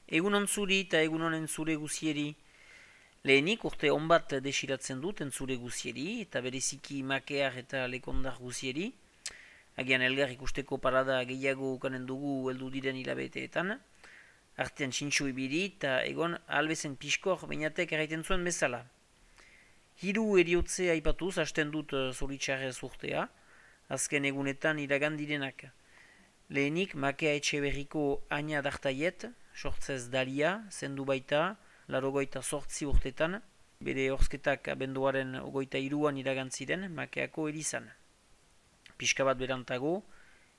Egunon zuri eta egunon entzule guzieri. Lehenik urte on bat desiratzen dut entzule guzieri eta bereziki makear eta lekondar guzieri. Agian elgar ikusteko parada gehiago ukanen dugu heldu diren hilabeteetan. Artean txintxo ibili eta egon albezen piskor bainatek erraiten zuen bezala. Hiru eriotzea aipatuz hasten dut zoritxarrez urtea, azken egunetan iragandirenak. Lehenik makea etxe berriko Aina Dartaiet, sortzez Dalia, zendu baita, 88 urtetan, bere horzketak abenduaren 23an iragantziren makeako erizan. Pixka bat berantago,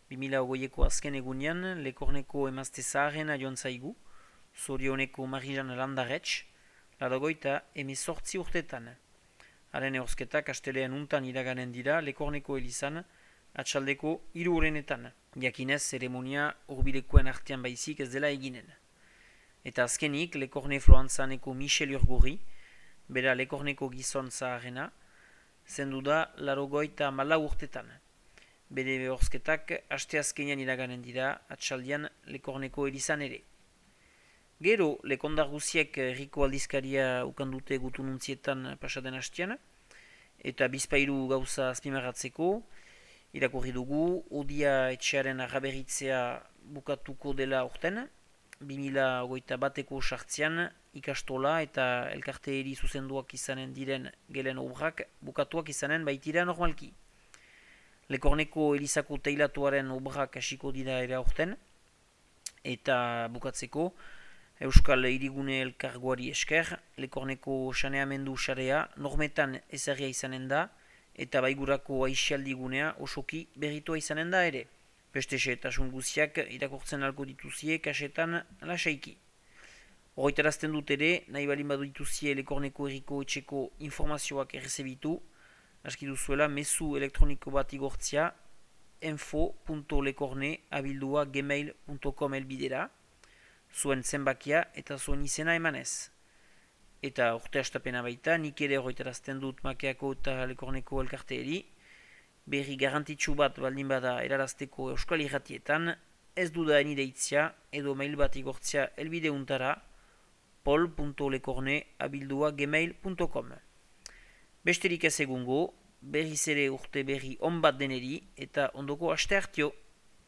2008ko azken egunean, Lekorneko emazte zaharrena joan zaigu, Zorioneko Marijan Landarretx, 98 urtetan. Haren horzketak astelean untan iraganen dira Lekorneko elizan, atxaldeko 3 urenetan. Jakinez, zeremonia urbilekoen artean baizik ez dela eginen. Eta azkenik, Lekorne Floantzaneko Michel Urgurri, bera Lekorneko gizon zaharrena, zendu da 94 urtetan. Bere horzketak aste azkenean iraganen dira, atxaldian Lekorneko elizan ere. Gero, lekondar guziek herriko aldizkaria ukandute gutununtzietan pasaden hastian, eta bizpairu gauza azpimarratzeko, irakurri dugu, Odia etxearen arraberitzea bukatuko dela urten, 2021ko sartzean ikastola eta elkarteeri zuzenduak izanen diren gelen obrak bukatuak izanen baitira normalki. Lekorneko elizako teilatuaren obrak hasiko dira ere urten, eta bukatzeko, Euskal Hirigune Elkargoari esker, Lekorneko saneamendu sarea normetan ezarria izanen da, eta baigurako aixialdigunea osoki berritua izanen da ere. Beste xehetasun guziak irakurtzen alko dituzie kasetan lasaiki. Horretarazten dut ere, nahi balin badu dituzie Lekorneko herriko etxeko informazioak errezebitu, aski duzuela mezu elektroniko bat igortzia info.lekorne@gmail.com elbidera, zuen zenbakia eta zuen izena emanez. Eta urte hastapena baita, nik ere horretarazten dut makeako eta Lekorneko elkarteeri, berri garantitsu bat baldin bada erarazteko euskal irratietan, ez dudaen ideitzia edo mail bat igortzia elbideuntara pol.lekorne@gmail.com. Besterik ez egungo, berriz ere urte berri on bat deneri eta ondoko aste hartio.